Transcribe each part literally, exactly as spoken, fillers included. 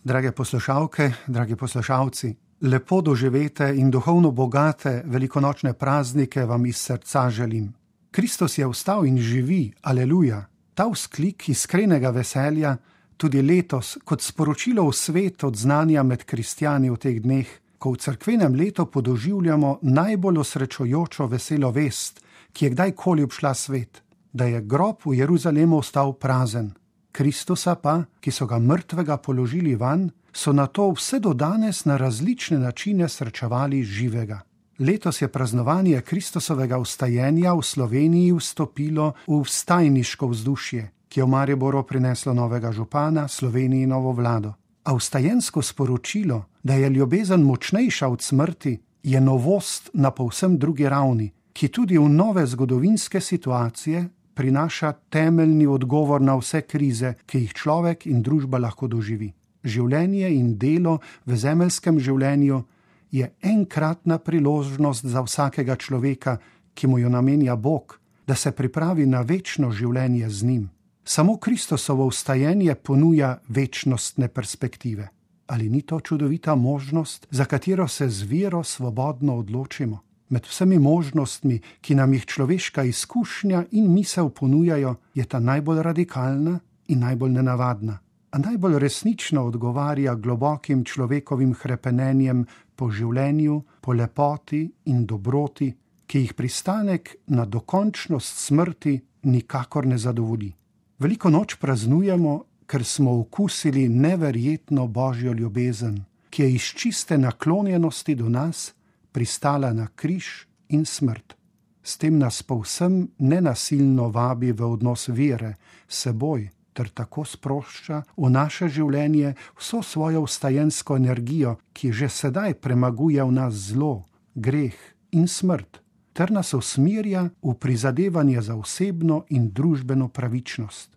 Drage poslušalke, dragi poslušalci, lepo doživete in duhovno bogate velikonočne praznike vam iz srca želim. Kristus je vstal in živi, aleluja. Ta vzklik iskrenega veselja tudi letos kot sporočilo v svet od znanja med kristjani v teh dneh, ko v cerkvenem letu podoživljamo najbolj osrečujočo veselo vest, ki je kdajkoli obšla svet, da je grob v Jeruzalemu ostal prazen. Kristusa pa, ki so ga mrtvega položili vanj, so na to vse do danes na različne načine srečevali živega. Letos je praznovanje Kristusovega vstajenja v Sloveniji vstopilo v vstajniško vzdušje, ki je v Mariboru prineslo novega župana, Sloveniji novo vlado. A vstajensko sporočilo, da je ljubezen močnejša od smrti, je novost na povsem drugi ravni, ki tudi v nove zgodovinske situacije prinaša temeljni odgovor na vse krize, ki jih človek in družba lahko doživi. Življenje in delo v zemeljskem življenju je enkratna priložnost za vsakega človeka, ki mu jo namenja Bog, da se pripravi na večno življenje z njim. Samo Kristusovo vstajenje ponuja večnostne perspektive. Ali ni to čudovita možnost, za katero se z vero svobodno odločimo? Med vsemi možnostmi, ki nam jih človeška izkušnja in misel ponujajo, je ta najbolj radikalna in najbolj nenavadna, a najbolj resnično odgovarja globokim človekovim hrepenenjem po življenju, po lepoti in dobroti, ki jih pristanek na dokončnost smrti nikakor ne zadovolji. Veliko noč praznujemo, ker smo okusili neverjetno božjo ljubezen, ki je iz čiste naklonjenosti do nas pristala na križ in smrt. S tem nas povsem nenasilno vabi v odnos vere s seboj, ter tako sprošča v naše življenje vso svojo vstajensko energijo, ki že sedaj premaguje v nas zlo, greh in smrt, ter nas usmerja v prizadevanje za osebno in družbeno pravičnost.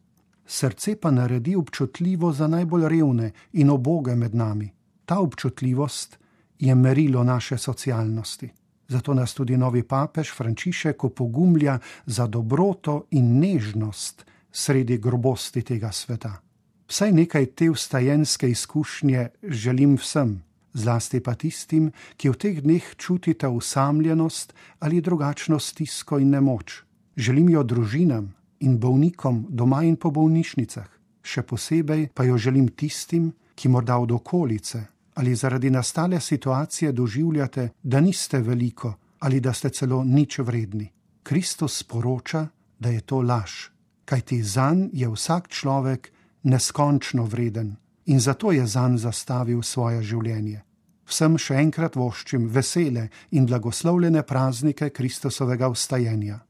Srce pa naredi občutljivo za najbolj revne in uboge med nami. Ta občutljivost je merilo naše socialnosti. Zato nas tudi novi papež Frančišek opogumlja za dobroto in nežnost sredi grobosti tega sveta. Vsaj nekaj te vstajenske izkušnje želim vsem, zlasti pa tistim, ki v teh dneh čutite osamljenost ali drugačno stisko in nemoč. Želim jo družinam in bolnikom doma in po bolnišnicah. Še posebej pa jo želim tistim, ki morda od okolice ali zaradi nastale situacije doživljate, da niste veliko ali da ste celo nič vredni. Kristus sporoča, da je to laž, kajti zanj je vsak človek neskončno vreden in zato je zanj zastavil svoje življenje. Vsem še enkrat voščim vesele in blagoslovljene praznike Kristusovega vstajenja.